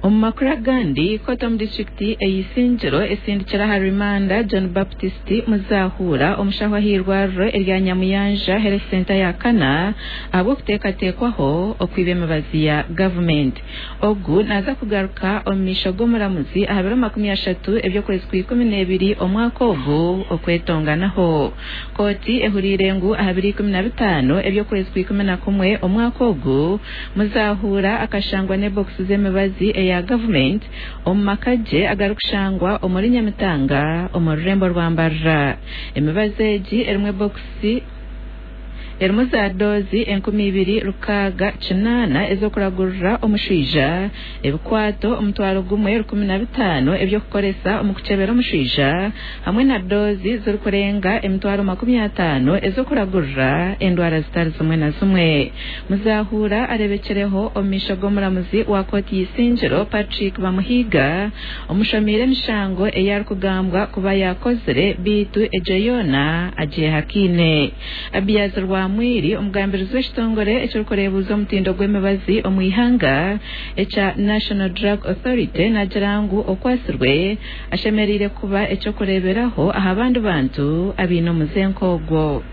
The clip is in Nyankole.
Omu makuru agandi, kooti omu disiturikiti ey'Isingiro esindikire aha rimanda John Baptist Muzahuura omushaho ah'eirwariro erya Nyamuyanja Health Centre ya kana ahabw'okuteekateekwaho okwiba emibazi ya gavumenti. Ogu naaza kugaruka omu maisho g'omuramuzi aha biro 30 eby'okwezi kwa 12 omwaka ogu okwetonganaho. Kooti ehuriire ngu aha biro 15 eby'okwezi kwa 11 omwaka ogu, Muzahuura akashangwa n'ebokisi z'emibazi eya gavumenti omu maka gye agarikushangwa omuri Nyamitanga omu rurembo rwa Mbarara. Emibazi egi erimu ebokisi erimu za doozi 2608 ez'okuragurira omushwija, ebikwato 1015 eby'okukoresa omu kukyebera omushwija hamwe na doozi zirikurenga 500,000 ez'okuragurira endwara zitari zimwe na zimwe. Muzahuura areebekireho omu maisho g'omuramuzi wa kooti y'eisingiro Patrick Bamuhiga omushomiire emishango ei arikugambwa kuba yaakozire beitu egyo yoona agyehakaine. Abiaz Rwamwiri, omugambirizi w'ekitongore ekirikureebuuza omutindo gw'emibazi omu ihanga ekya National Drug Authority naagira ngu okwatsirwe ashemereire kuba eky'okureeberaho aha bandi bantu abaine omuze nk'ogwo.